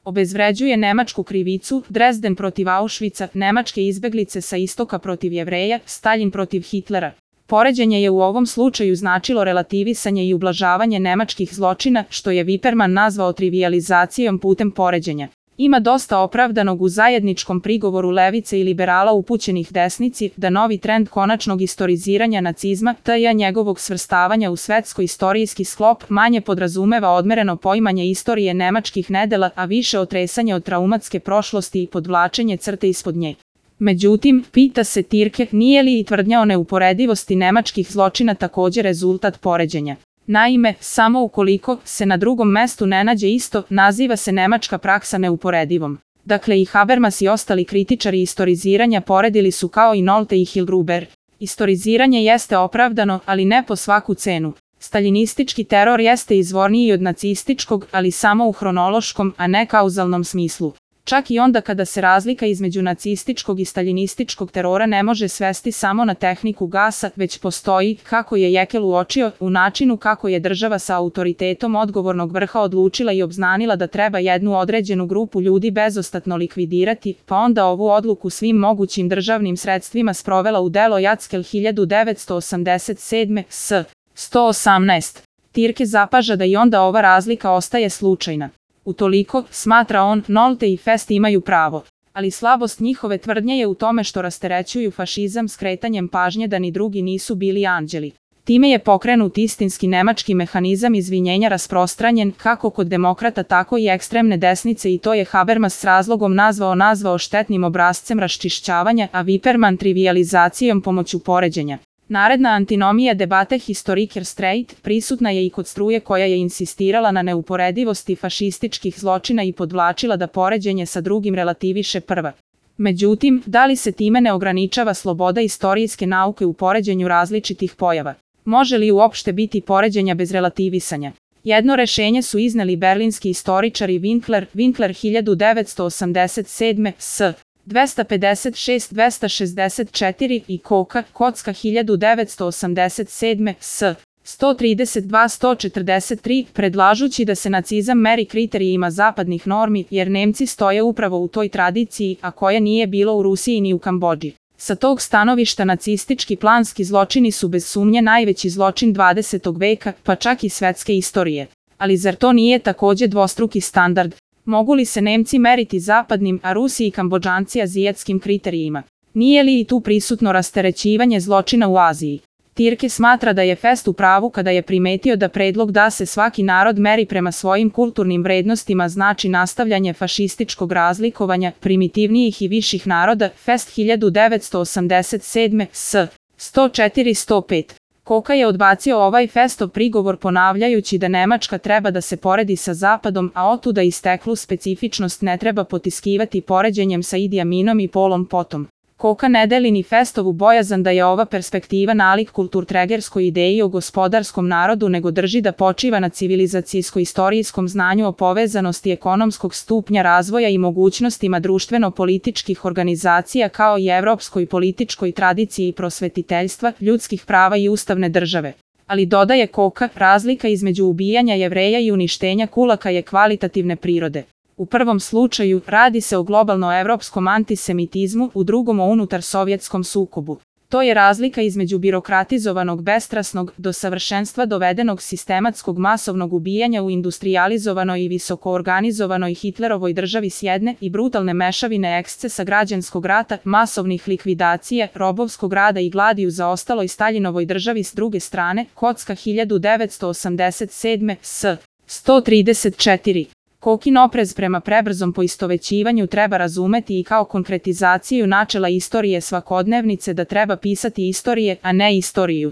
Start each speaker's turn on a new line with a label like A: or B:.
A: Obezvređuje nemačku krivicu, Dresden protiv Auschwitza, nemačke izbeglice sa istoka protiv Jevreja, Staljin protiv Hitlera. Poređenje je u ovom slučaju značilo relativisanje i ublažavanje nemačkih zločina, što je Viperman nazvao trivijalizacijom putem poređenja. Ima dosta opravdanog u zajedničkom prigovoru levice i liberala upućenih desnici da novi trend konačnog istoriziranja nacizma, t.j. njegovog svrstavanja u svetsko-istorijski sklop, manje podrazumeva odmereno poimanje istorije nemačkih nedela, a više otresanje od traumatske prošlosti i podvlačenje crte ispod nje. Međutim, pita se Tirke, nije li i tvrdnja o neuporedivosti nemačkih zločina također rezultat poređenja? Naime, samo ukoliko se na drugom mestu ne nađe isto, naziva se nemačka praksa neuporedivom. Dakle, i Habermas i ostali kritičari istoriziranja poredili su kao i Nolte i Hillgruber. Istoriziranje jeste opravdano, ali ne po svaku cenu. Staljinistički teror jeste izvorniji od nacističkog, ali samo u hronološkom, a ne kauzalnom smislu. Čak i onda kada se razlika između nacističkog i staljinističkog terora ne može svesti samo na tehniku gasa, već postoji, kako je Jekel uočio, u načinu kako je država sa autoritetom odgovornog vrha odlučila i obznanila da treba jednu određenu grupu ljudi bezostatno likvidirati, pa onda ovu odluku svim mogućim državnim sredstvima sprovela u delo Jackel 1987. s. 118. Tirke zapaža da i onda ova razlika ostaje slučajna. Utoliko, smatra on, Nolte i Fest imaju pravo. Ali slabost njihove tvrdnje je u tome što rasterećuju fašizam skretanjem pažnje da ni drugi nisu bili anđeli. Time je pokrenut istinski nemački mehanizam izvinjenja rasprostranjen kako kod demokrata tako i ekstremne desnice i to je Habermas s razlogom nazvao štetnim obrascem raščišćavanja, a Viperman trivijalizacijom pomoću poređenja. Naredna antinomija debate Historiker Streit prisutna je i kod struje koja je insistirala na neuporedivosti fašističkih zločina i podvlačila da poređenje sa drugim relativiše prva. Međutim, da li se time ne ograničava sloboda istorijske nauke u poređenju različitih pojava? Može li uopšte biti poređenja bez relativisanja? Jedno rešenje su izneli berlinski istoričari Winkler 1987. s. 256-264 i Kocka 1987. s. 132-143, predlažući da se nacizam meri kriterijima zapadnih normi, jer Nemci stoje upravo u toj tradiciji, a koje nije bilo u Rusiji ni u Kambodži. Sa tog stanovišta nacistički planski zločini su bez sumnje najveći zločin 20. veka, pa čak i svetske istorije. Ali zar to nije također dvostruki standard? Mogu li se Nemci meriti zapadnim, a Rusi i Kambodžanci azijatskim kriterijima? Nije li i tu prisutno rasterećivanje zločina u Aziji? Tirke smatra da je Fest u pravu kada je primetio da predlog da se svaki narod meri prema svojim kulturnim vrednostima znači nastavljanje fašističkog razlikovanja primitivnijih i viših naroda. Fest 1987. s. 104-105. Kocka je odbacio ovaj Festov prigovor ponavljajući da Nemačka treba da se poredi sa Zapadom, a otuda isteklu specifičnost ne treba potiskivati poređenjem sa Idi Aminom i Polom Potom. Kocka ne deli ni Festovu bojazan da je ova perspektiva nalik kulturtregerskoj ideji o gospodarskom narodu, nego drži da počiva na civilizacijsko-istorijskom znanju o povezanosti ekonomskog stupnja razvoja i mogućnostima društveno-političkih organizacija kao i evropskoj političkoj tradiciji prosvetiteljstva, ljudskih prava i ustavne države. Ali dodaje Kocka, razlika između ubijanja Jevreja i uništenja kulaka je kvalitativne prirode. U prvom slučaju radi se o globalno-evropskom antisemitizmu, u drugom o unutar-sovjetskom sukobu. To je razlika između birokratizovanog, bestrasnog, do savršenstva dovedenog sistematskog masovnog ubijanja u industrijalizovanoj i visokoorganizovanoj Hitlerovoj državi s jedne i brutalne mešavine ekscesa građanskog rata, masovnih likvidacija, robovskog rada i gladi u zaostaloj Staljinovoj državi s druge strane. Kocka 1987. s. 134. Kokin oprez prema prebrzom poistovećivanju treba razumeti i kao konkretizaciju načela istorije svakodnevnice da treba pisati istorije, a ne istoriju.